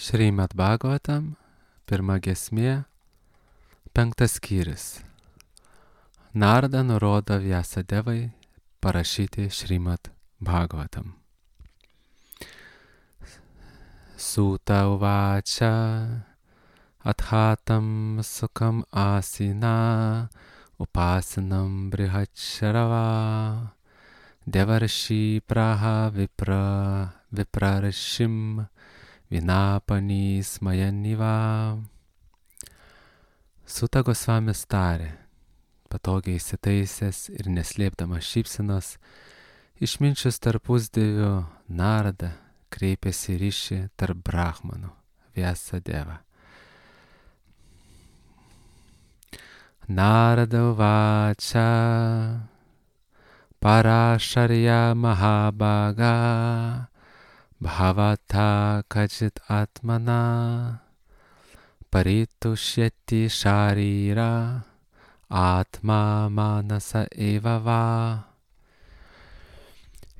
Šrimad Bhagavatam, pirma giesmė, 5 skyrius. Narada nurodo Vyasadevai parašyti Šrimad Bhagavatam. Sūta uvača athatam sukam asina upasinam brihacharava devarshi praha viprarashim vinapani smajaniva. Sūta Gosvamis tarė, patogiai įsitaisęs ir neslėpdamas šypsenos, išminčius tarpusdievių Narada kreipėsi ryšį tarp brahmanų Vyasadeva. Narada uvača parasharya mahabhaga bhavata kajit atmana paritushyati sharira atma manasa evava.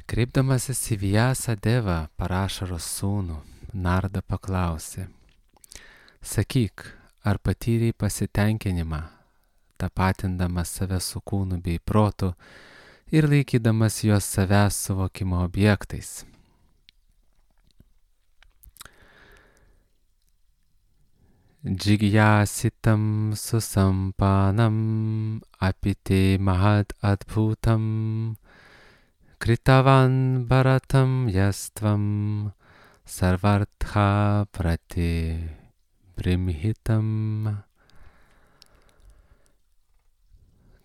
Kreipdamasis į Vyasadevą, Parašaros sūnų, Narada paklausė: sakyk, ar patyrei pasitenkinimą, tapatindamas save su kūnu bei protu ir laikydamas juos savęs suvokimo objektais? Džigyasitam susampanam apite mahad adbhutam kritavan bharatam yastvam sarvartha prati brimhitam.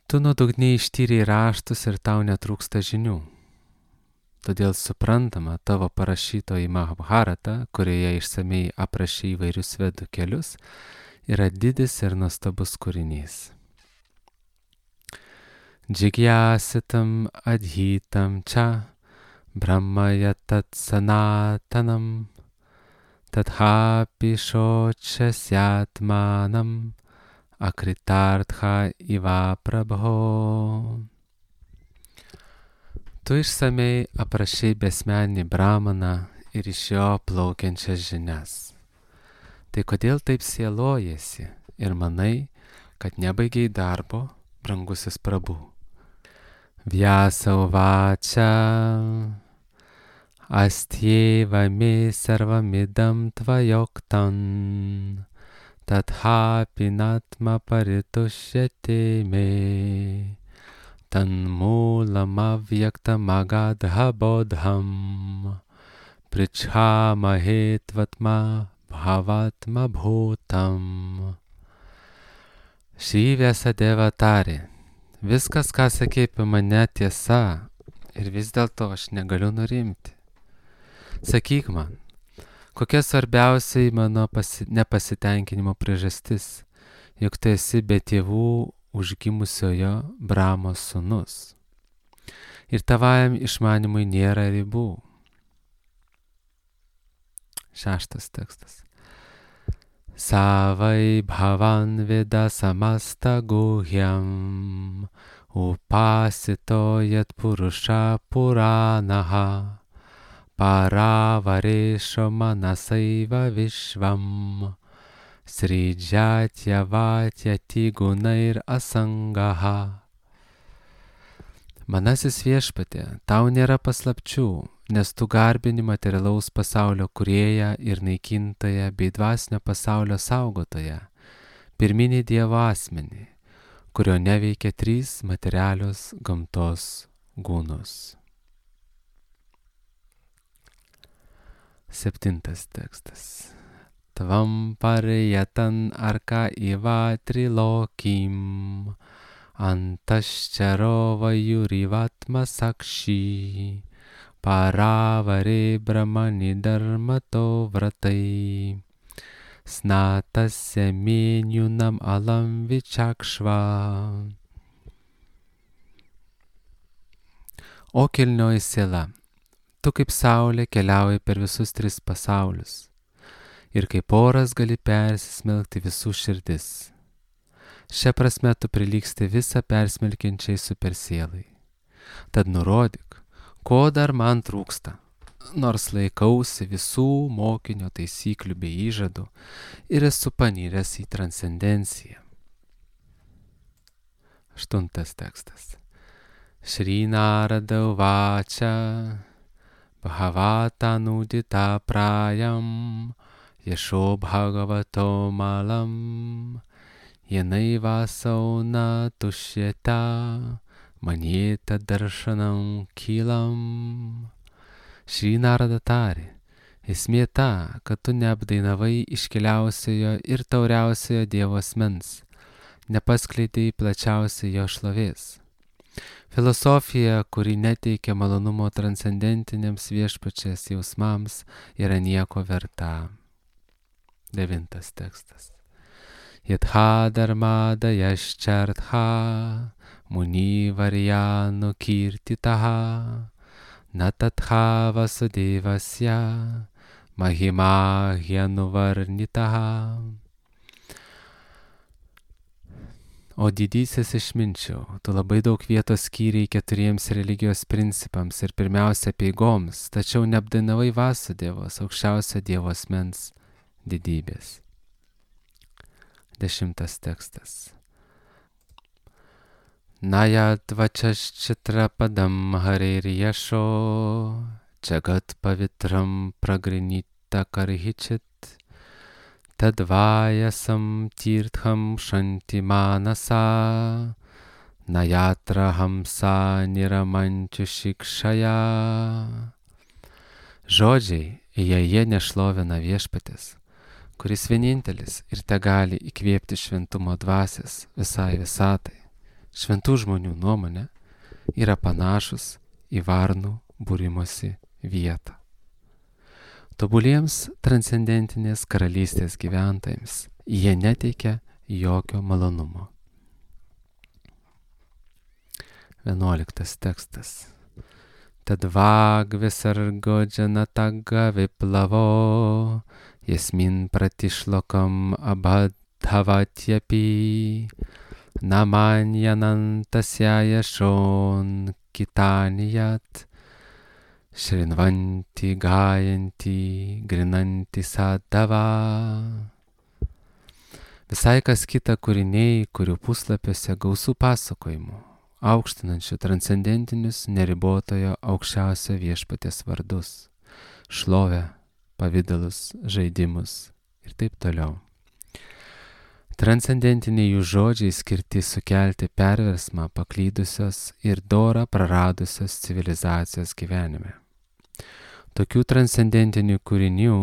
Tu nuodugniai ištyrei raštus ir tau netrūksta žinių. Todėl suprantama, tavo parašytoji Mahabharata, kurioje išsamei aprašė įvairius vedų kelius, yra didis ir nuostabus kūrinys. Džigyasitam adhitam cha brahmaya tat sanatanam tadhapi shochasyatmanam akritartha iva prabho. Tu išsamei aprašei besmenį brahmaną ir iš jo plaukiančias žinias. Tai kodėl taip sielojasi ir manai, kad nebaigiai darbo, brangusis prabhu? Vyasa uvača astjeva me sarvamidam tvajoktan tadhapi natma paritushyate me tanmulam avyaktam agadha bodham prichamahe tvatma bhavatma bhutam. Šį Vyasadeva tarė: viskas, ką sakei apie mane, tiesa, ir vis dėlto aš negaliu nurimti. Sakyk man, kokia svarbiausiai mano nepasitenkinimo priežastis, juk tu esi be tėvų užgimusiojo Brahmos sūnus. Ir tavajam išmanimui nėra ribų. 6 tekstas. Savai bhavan veda samasta guhyam upasito yat purusha puranaha paravaresho manasaiva vishvam sridjatya vatyati gunair asangaha. Manasis viešpatie, tau nėra paslapčių, nes tu garbini materialaus pasaulio kūrėją ir naikintoją bei dvasinio pasaulio saugotoją, pirminį Dievo asmenį, kurio neveikia 3 materialios gamtos gūnus. 7 tekstas. Tvam pariyatan arka iva trilokim antascharo vayurivatma sakshi paravare brahmani dharmato vratai snatasya menyunam alam vichakšva. O kilnioji siela, tu kaip saulė keliauji per visus 3 pasaulius ir kaip oras gali persismelkti visų širdis. Šia prasme tu prilygsti visą persmelkiančiai supersielai. Tad nurodyk, ko dar man trūksta, nors laikausi visų mokinio taisyklių bei įžadų ir esu paniręs į transcendenciją. 8 tekstas. Šri Narada uvača bhavata nudita prayam yesho bhagavato malam yenaiva sauna tušyeta manyeta darshanam kilam. Šri Narada tarė, esmė ta, kad tu neapdainavai iškiliausiojo ir tauriausiojo Dievo asmens, nepaskleidai plačiausiai jo šlovės. Filosofija, kuri neteikia malonumo transcendentiniams viešpačias jausmams, yra nieko verta. 9 tekstas. Yatha dharmada yaschartha muni varyanu kirtitaha natatha vasudevasya mahima hyanuvarnitaha. O didysis išminčiau, tu labai daug vietos skyrei 4 religijos principams ir pirmiausia apeigoms, tačiau neapdainavai Vasudevos, aukščiausio Dievo asmens didybės. 10 tekstas. Nayadvačaščitra padam harir yasho jagat pavitram pragrinita karhichit tadvayasam tirtham shanti manasa nayatra hamsa niramančiu šikšaja. Žodžiai, jei jie nešlovina viešpaties, kuris vienintelis ir tegali įkvėpti šventumo dvasias visai visatai, šventų žmonių nuomonė yra panašus į varnų būrimosi vietą. Tobuliems transcendentinės karalystės gyventojams jie neteikia jokio malonumo. 11 tekstas. Tadvag visargo džanataga viplavo jasmin pratišlokam abadhavatyapi namanyanantasya yashon kitaniyat Šrinvanti, gajanti, grinanti sadava. Visai kas kita kūriniai, kurių puslapiuose gausų pasakojimų, aukštinančių transcendentinius neribotojo aukščiausio viešpaties vardus, šlovę, pavydalus, žaidimus ir taip toliau. Transcendentiniai jų žodžiai skirti sukelti perversmą paklydusios ir dorą praradusios civilizacijos gyvenime. Tokių transcendentinių kūrinių,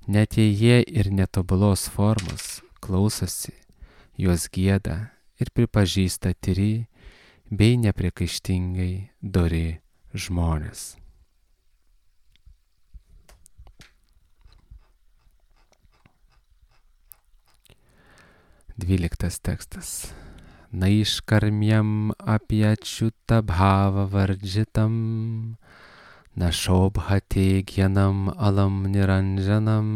net jei jie ir netobulos formos, klausosi, juos gieda ir pripažįsta tyri bei nepriekaištingai dori žmonės. Dvyliktas tekstas. Naiškarmjam apyačiuta bhava vardžitam našobhate gyanam alam niranjanam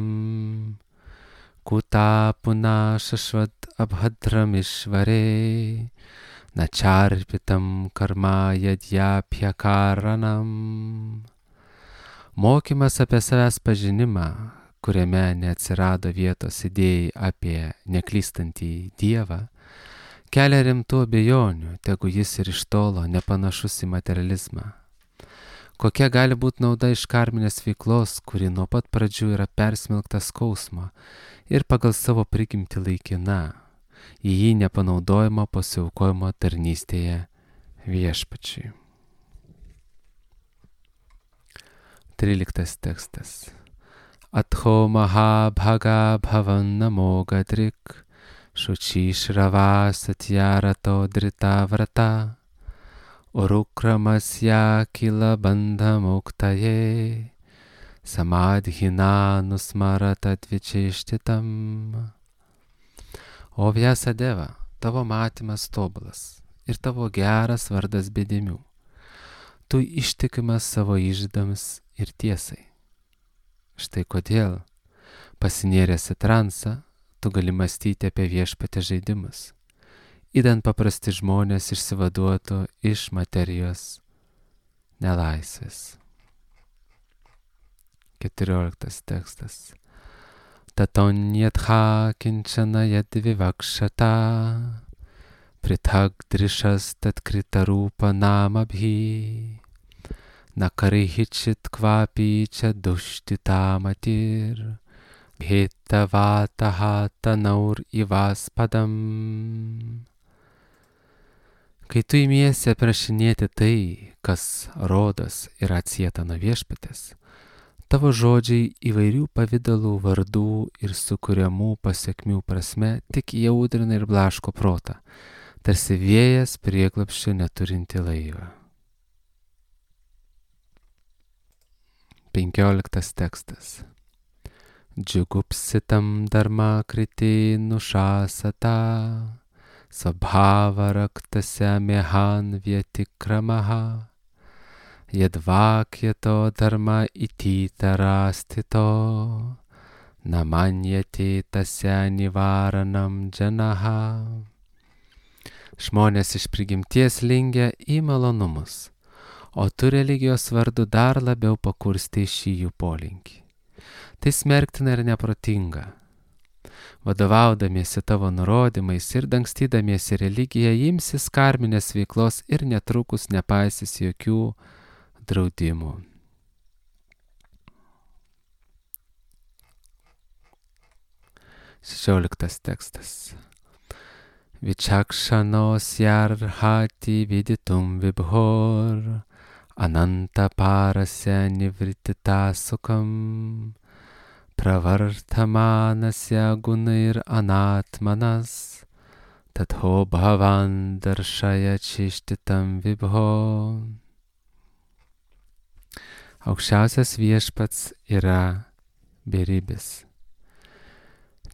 kuta puna šašvat abhadram išvare načarpitam karma yadjapyakaranam. Mokymas apie savęs pažinimą, kuriame neatsirado vietos idėjai apie neklystantį Dievą, kelia rimtų abejonių, tegu jis ir iš tolo nepanašus į materializmą. Kokia gali būti nauda iš karminės veiklos, kuri nuo pat pradžių yra persmelkta skausmo ir pagal savo prigimtį laikina, į jį nepanaudojimo pasiaukojimo tarnystėje viešpačiui. 13 tekstas. Atho maha bhaga bhavan namo gadrik šuči šrava satyarato drita vrata urukramasya kila bandha muktaye samadhina nusmarata dvičeštitam. O Vyasadeva, tavo matymas tobulas ir tavo geras vardas bedėmių. Tu ištikimas savo įžadams ir tiesai. Štai kodėl, pasinėręs į transą, tu gali mąstyti apie viešpatę žaidimus, idant paprasti žmonės išsivaduotų iš materijos nelaisvės. 14 tekstas. Tatonyatha kinčana yadvivakšata prithag drishas tatkritarūpa namabhi nakarihičit kvapi čia duštitamatir bhetavataha tanaur ivaspadam. Kai tu imiesi aprašinėti tai, kas rodos yra atsieta nuo Viešpaties, tavo žodžiai įvairių pavydalų, vardų ir sukuriamų pasekmių prasme tik jaudrina ir blaško protą, tarsi vėjas prieglobsčio neturinti laivą. 15 tekstas. Džiugupsitam dharma kriti nušasata svabhava raktasya mehan vyatikramaha yadvakyato dharma ititarastito namanyati tasya nivaranam janaha. Žmonės iš prigimties lingia į malonumus, o tu religijos vardu dar labiau pakurstai šį jų polinkį. Tai smerktina ir neprotinga. Vadovaudamiesi tavo nurodymais ir dangstydamiesi religiją, imsis karminės veiklos ir netrukus nepaisys jokių draudimų. Šešioliktas tekstas. Vičakšanos yarhati viditum vibhor ananta parasya nivritita sukam pravartamanasya gunair anatmanas tatho bhavan darshaya čištitam vibho. Aukščiausias Viešpats yra beribis.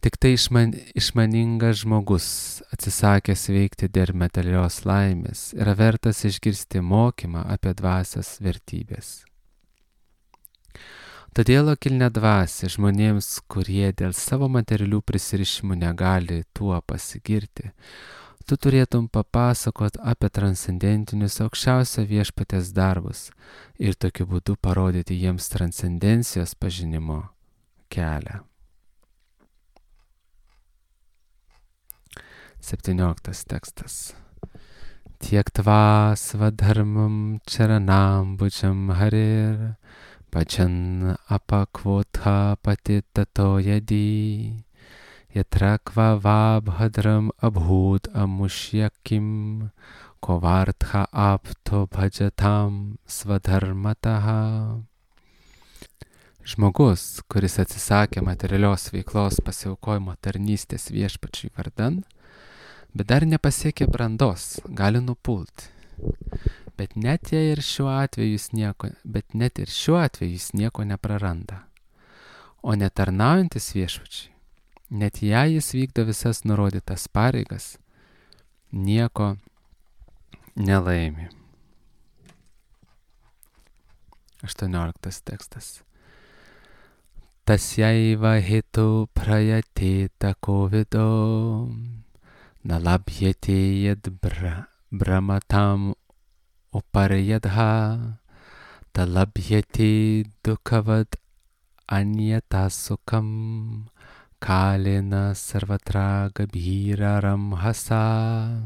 Tik tai išmaningas žmogus, atsisakęs veikti dėl materialios laimės, yra vertas išgirsti mokymą apie dvasios vertybės. Todėl kilnia dvasia žmonėms, kurie dėl savo materialių prisirišimų negali tuo pasigirti, tu turėtum papasakot apie transcendentinius aukščiausio Viešpaties darbus ir tokiu būdu parodyti jiems transcendencijos pažinimo kelią. 17 tekstas. Tiektva svadharmam charanambučam harir pačan apakvotha patitato yadi yatrakva vabhadram abhud amushyakim kovartha apto bhajatam svadharmataha. Žmogus, kuris atsisakė materialios veiklos pasiaukojimo tarnystės Viešpačiui vardan, bet dar nepasiekė brandos, gali nupulti. Bet net ir šiuo atveju jis nieko nepraranda. O netarnaujantis Viešpačiui, net jei jis vykdo visas nurodytas pareigas, nieko nelaimi. 18 tekstas. Tasyaiva hetu prayateta kovido nalabhyate yad brahmatam uparyadha talabhyate dukavad anyatasukam kalena sarvatra gabhiraram hasa.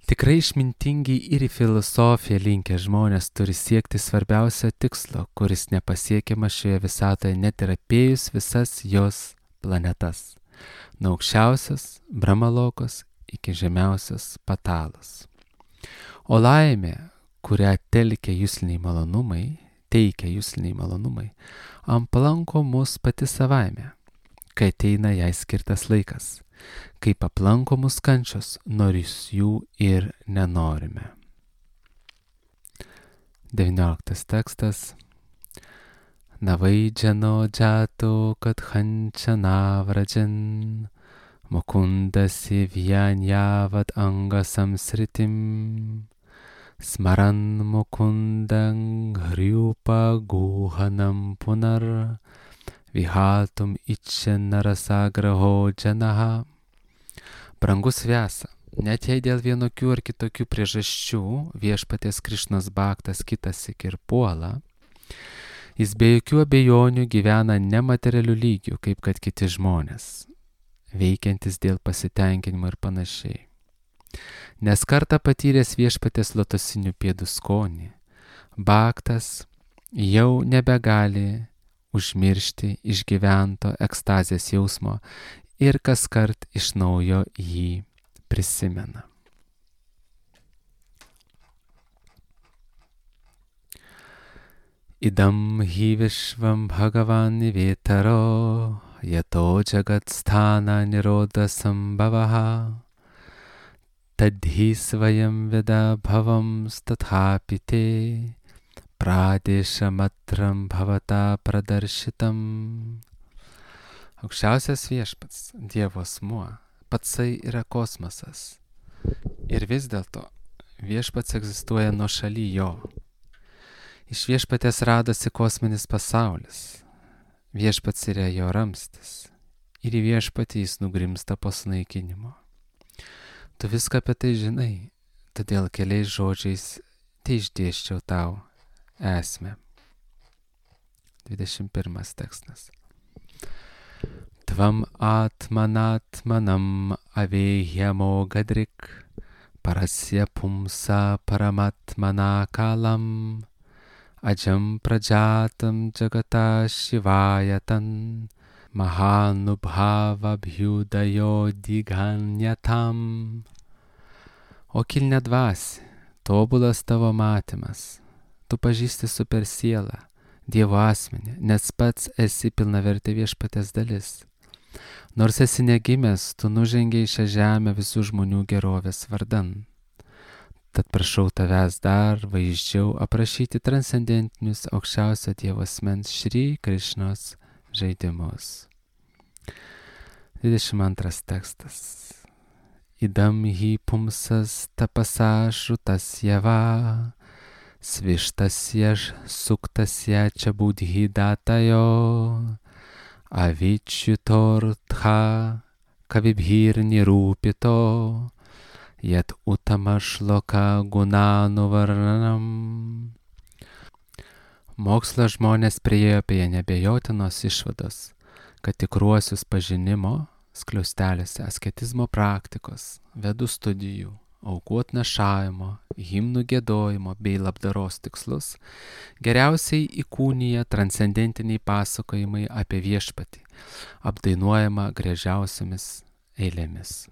Tikrai išmintingi ir į filosofiją linkę žmonės turi siekti svarbiausio tikslo, kuris nepasiekiamas šioje visatoje net ir apėjus visas jos planetas, nuo aukščiausios Brahmalokos iki žemiausios Patalos. O laimė, kurią teikia jusliniai malonumai, aplanko mus pati savaime, kai ateina jai skirtas laikas. Kaip aplanko mus kančios, nors jų ir nenorime. 19 tekstas. Navaidžano džato kad hančana vrajan mukundasi vyanjavad angasam sritim smaran mukundang hriupa guhanam punar vihatum ičenarasagraho džanaha. Brangus Vyasa, net jei dėl vienokių ar kitokių priežasčių Viešpaties Krišnos bhaktas kitąsyk ir puola, Jis be jokių abejonių gyvena nematerialių lygių, kaip kad kiti žmonės, veikiantis dėl pasitenkinimo ir panašiai. Nes kartą patyręs viešpaties lotosinių pėdų skonį, Bhaktas jau nebegali užmiršti išgyvento ekstazės jausmo ir kaskart iš naujo jį prisimena. Idam hi vishvam bhagavan nivetaro yato jagat sthana niroda sambhavaha tadhi svayam veda bhavam stathapite pradeshamatram bhavata pradaršitam. Aukščiausias viešpats, Dievo asmuo, patsai yra kosmosas. Ir vis dėlto viešpats egzistuoja nuošaly jo. Iš viešpatės radosi kosminis pasaulis. Viešpats yra jo ramstis. Ir į viešpatį jis nugrimsta po sunaikinimo. Tu viską apie tai žinai, todėl keliais žodžiais tai išdėsčiau tau esmę. 21 tekstas. Tvam atmanatmanam avehyamo gadrik parasya pumsa paramatmanakalam ajam prajatam jagata shivayatan mahanubhava bhyudayo diganyatam. O kilne dvasia, tobulas tavo matymas, tu pažįsti super sielą, Dievo asmenį, nes pats esi pilnavertė viešpatės dalis. Nors esi negimęs, tu nužengiai šią žemę visų žmonių gerovės vardan. Tad prašau tavęs dar vaizdžiau aprašyti transcendentinius aukščiausio Dievo asmens Šri Krišnos žaidimus. 22 tekstas. Idam hi pumsas tapasa šrutas java svištasya suktasya cha budhi datayo avičytortha kavibhir nirūpito yat utama šloka gunanuvarnam. Mokslo žmonės priėjo prie neabejotinos išvados, kad tikruosius pažinimo skliausteliuose asketizmo praktikos, vedų studijų, aukų atnašavimo, himnų giedojimo bei labdaros tikslus geriausiai įkūnija transcendentiniai pasakojimai apie viešpatį, apdainuojama gražiausiamis eilėmis.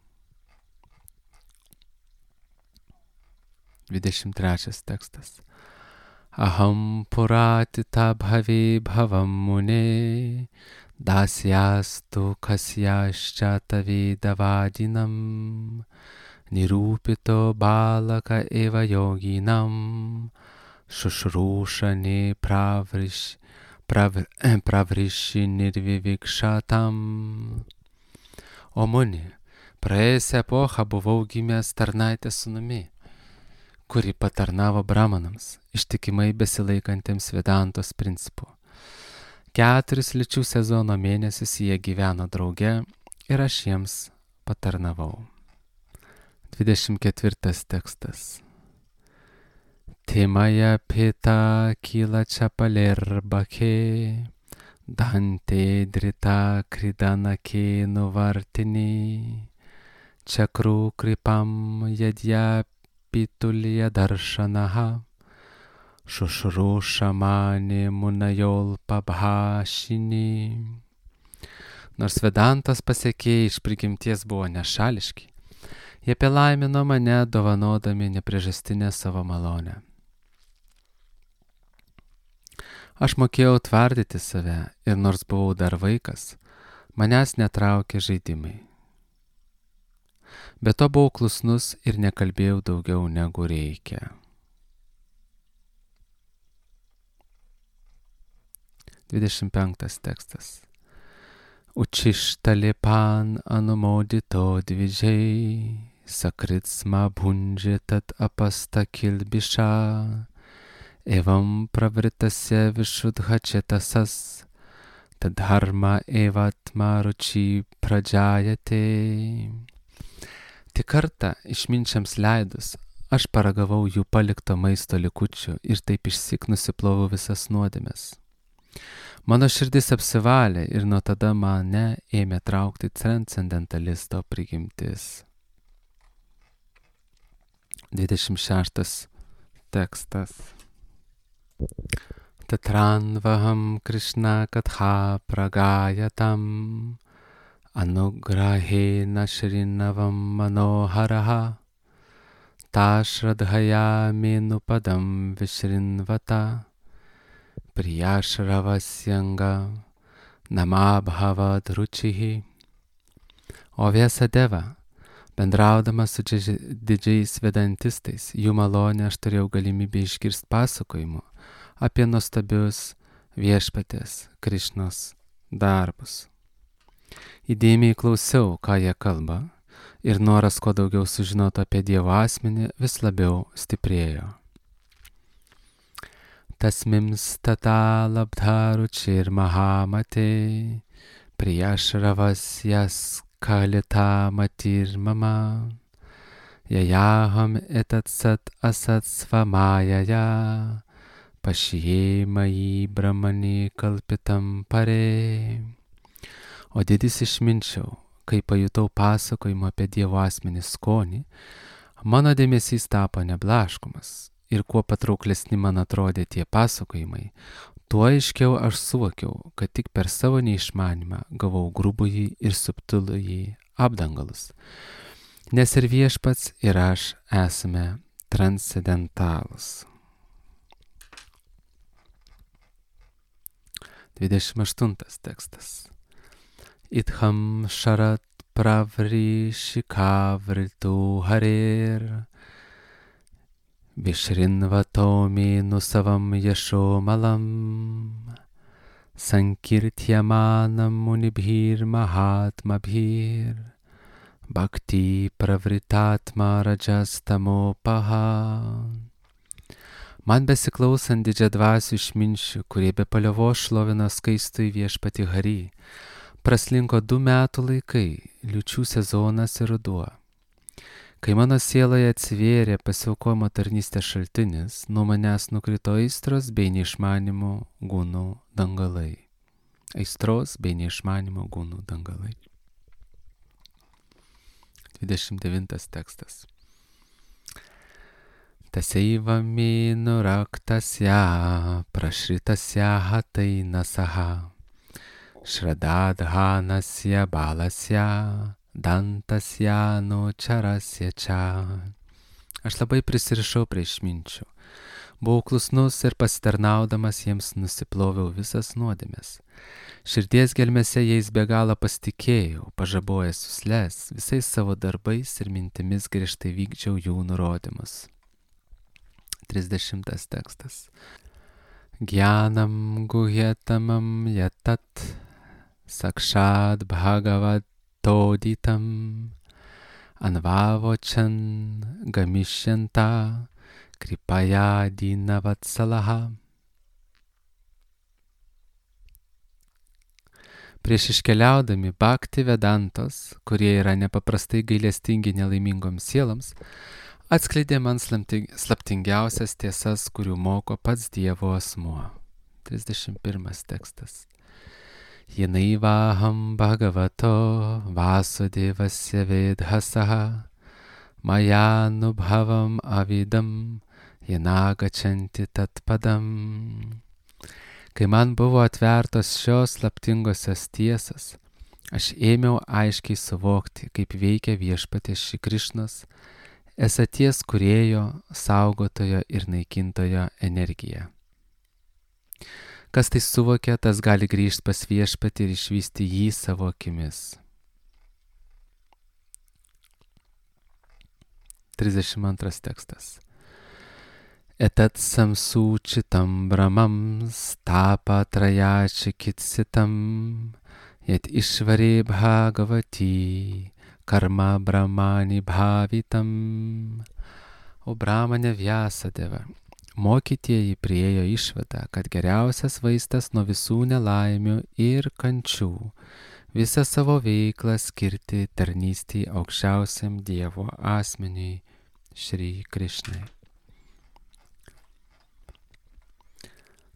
23 tekstas. Aham puratita bhavi bhavam mune dasyastu kasyascha tavidavadinam nirūpito balaka eva yoginam šušrūšani pravriši nirvivikšatam. O muni, praėjusią epochą buvau gimęs tarnaitės sūnumi, kuri patarnavo bramanams, ištikimai besilaikantiems Vedantos principų. 4 lyčių sezono mėnesius jie gyveno drauge ir aš jiems patarnavau. 24 tekstas. Timaya pita kila chapalerbache dante drita kridanake nuvartini chakru kripam yadya pitulya darshanaha šušrūšamani munajol pabhašini. Nors Vedantos pasekėjai iš prigimties buvo nešališki, jie palaimino mane dovanodami nepriežastinę savo malonę. Aš mokėjau tvardyti save ir nors buvau dar vaikas, manęs netraukė žaidimai. Be to buvau klusnus ir nekalbėjau daugiau negu reikia. 25 tekstas. Učištalipan anumodito dvidžiai, sakritsma bhunje tat apasta kilbiša, evam pravritasya vishudhachetasas, tad dharma evatma ruči pradžajate. Tik kartą išminčiams leidus, aš paragavau jų palikto maisto likučių ir taip išsyk nusiplovau visas nuodėmes. Mano širdis apsivalė ir nuo tada mane ėmė traukti transcendentalisto prigimtis. 26 tekstas. Tatranvaham Krishna katha pragayatam anugrahena shrinavam manoharaha tashradhaya menupadam vishrinvata priyashravashyanga namabhavad ručihi. O Vyasadeva, bendraudamas su didžiais vedantistais, jų malonę aš turėjau galimybę išgirsti pasakojimų apie nuostabius viešpatės Krišnos darbus. Įdėmiai klausiau, ką jie kalba, ir noras kuo daugiau sužinoti apie Dievo asmenį vis labiau stiprėjo. Tasmims tata labdharučir mahamate priyashravasya kalita matir mama yayaham etat sat asat svamayaya pašyjėmai brahmani kalpitam pare. O didis išminčiau, kai pajutau pasakojimą apie Dievo asmenį skonį, mano dėmesys tapo neblaškomas ir kuo patrauklesni man atrodė tie pasakojimai, tuo aiškiau aš suvokiau, kad tik per savo neišmanymą gavau grubųjį ir subtilųjį apdangalus, nes ir viešpats ir aš esame transcendentalūs. 28 tekstas. Itham sharat pravrishikavritu harir Vishrinvatomi nusavam yasho malam Sankirtyamanam munibhir mahatmabhir Bhakti pravritatma rajastamopaha. Man besiklausant didžiadvasių išminčių, kurie be paliovos šlovina skaistųjį viešpatį Harį, praslinko 2 metų laikai, liūčių sezonas ir ruduo. Kai mano sieloje atsivėrė pasiaukojimo tarnystės šaltinis, nuo manęs nukrito aistros bei neišmanimo gūnų dangalai. Aistros bei neišmanimo gūnų dangalai. 29 tekstas. Taseiva minu raktasya prašritasya hatainasaha Shradadhanasya balasya dantasya nučarasya čia. Aš labai prisirišau prie išminčių. Buvau klusnus ir pasitarnaudamas jiems nusiploviau visas nuodėmes. Širdies gelmėse jais be galo pasitikėjau, pažabojęs jusles, visais savo darbais ir mintimis griežtai vykdžiau jų nurodymus. 30 tekstas. Gyanam guhyatamam yatat sakshad bhagavatoditam anvavochan gamishyanta kripaya dinavatsalaha. Prieš iškeliaudami Bhakti Vedantos, kurie yra nepaprastai gailestingi nelaimingoms sieloms, atskleidė man slaptingiausias tiesas, kurių moko pats Dievo asmuo. 31 tekstas. Jenaivaham bhagavato vasudevasya vedhasaha mayanubhavam avidam jenagachanti tatpadam. Kai man buvo atvertos šios slaptingosios tiesas, aš ėmiau aiškiai suvokti, kaip veikia viešpaties Šri Krišnos, esaties kūrėjo, saugotojo ir naikintojo energija. Kas tai suvokia, tas gali grįžti pas viešpatį ir išvysti jį savo akimis. 32 tekstas. Etat samsūčitam bramam stapatrayačikitsitam yet išvarė bhagavati karma brahmani bhavitam. O Brahmane Vyasadeva, mokytieji priėjo išvadą, kad geriausias vaistas nuo visų nelaimių ir kančių visą savo veiklą skirti tarnystei aukščiausiam Dievo asmeniui Šri Krišnai.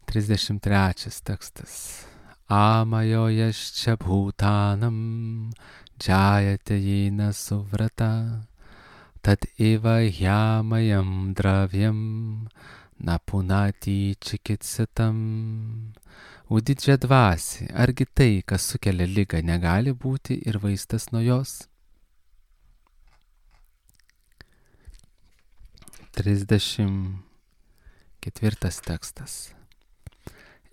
33 tekstas. Amajo yascha bhutanam jayate jena suvrata tad eva hyamayam dravyam napunati chikitsitam. O didžia dvasia, argi tai, kas sukelia ligą, negali būti ir vaistas nuo jos? 34 tekstas.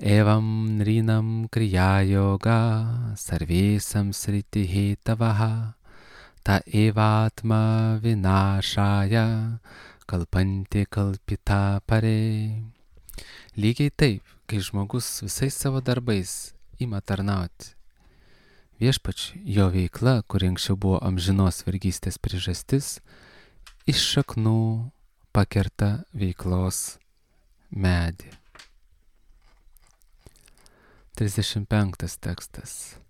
Evam nrinam kriya yoga sarvesam sriti hetavaha ta evatma vinashaya kalpanti kalpita pare. Lygiai taip, kai žmogus visais savo darbais ima tarnauti viešpačiui, jo veikla, kuri anksčiau buvo amžinos vergystės priežastis, iš šaknų pakerta veiklos medį. 35 tekstas.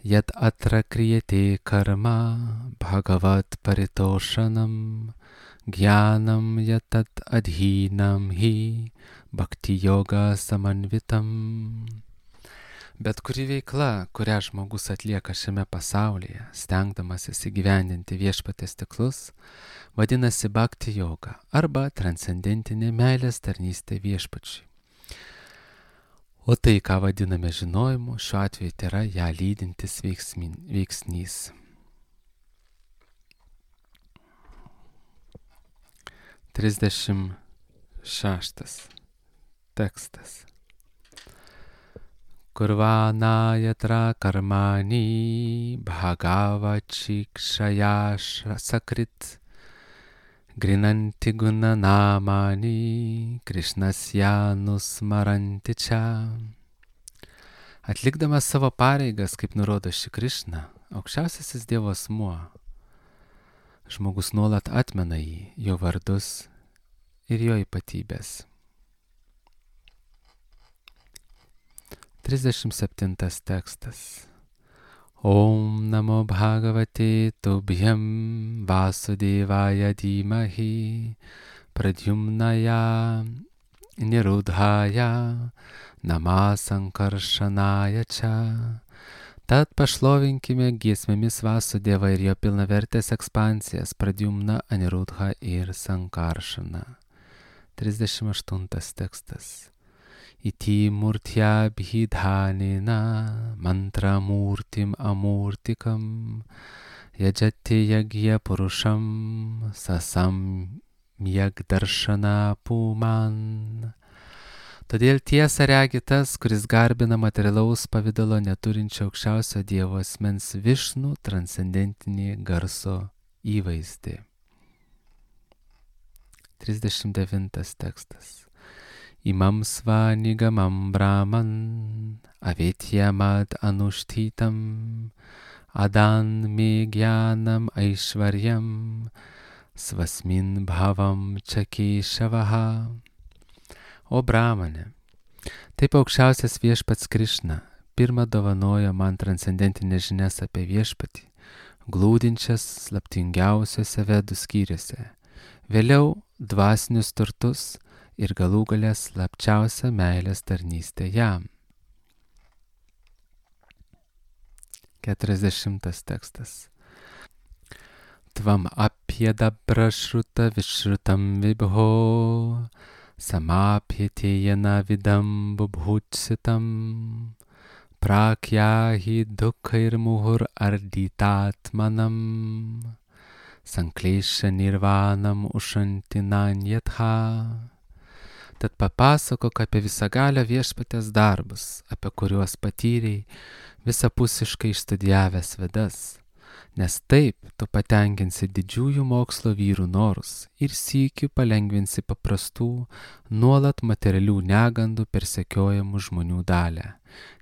Yat atra kriyate karma bhagavat paritošanam gyanam yatat adhinam hi bhakti yoga samanvitam. Bet kuri veikla, kurią žmogus atlieka šiame pasaulyje, stengdamasis įgyvendinti viešpaties tikslus, vadinasi bhakti yoga arba transcendentinė meilės tarnystė viešpačiui. O tai, ką vadiname žinojimu, šiuo atveju tai yra ją lydintis veiksnys. 36 tekstas. Kurvana yatra karmani bhagavachikshaya sakrit grinanti gunanamani Krishnas nusmaranti čia. Atlikdamas savo pareigas, kaip nurodo ši Krišna, aukščiausiasis Dievo asmuo, žmogus nuolat atmena jį, jo vardus ir jo ypatybės. 37 tekstas. Om namo bhagavate tubhyam vasudevaya dhimahi pradyumnaya nirudhaya namasankaršanaya cha. Tad pašlovinkime giesmėmis Vasudevą ir jo pilnavertės ekspansijas Pradyumna, Anirudha ir Sankaršana. 38 tekstas. Iti murtya bhidhanina mantra murtim amurtikam yajati yagya purusham sasam yagdarshana puman. Todėl tiesą regi tas, kuris garbina materialaus pavydalo neturinčio aukščiausio Dievo asmens Višnų transcendentinį garso įvaizdį. 39 tekstas. Imam svanigamam brahman avetyamad anushtitam adan me gyanam aishvaryam svasmin bhavam čakešavaha. O Brahmane, taip aukščiausias viešpats Krišna pirmą dovanojo man transcendentinės žinias apie viešpatį, glūdinčias slaptingiausiuose vedų skyriuose, vėliau dvasinius turtus ir galų gale slapčiausią meilės tarnystę jam. 40 tekstas. Tvam apjedabra šruta višrutam vibho samapyetejena vidam bubhutsitam prakyahi dukhair muhur arditatmanam sanklesha nirvanam ushantinanyatha. Tad papasakok apie visagalio viešpatės darbus, apie kuriuos patyrei visapusiškai išstudijavęs Vedas, nes taip tu patenkinsi didžiųjų mokslo vyrų norus ir sykiu palengvinsi paprastų, nuolat materialių negandų persekiojamų žmonių dalią.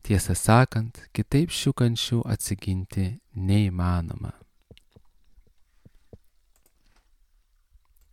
Tiesą sakant, kitaip šių kančių atsiginti neįmanoma.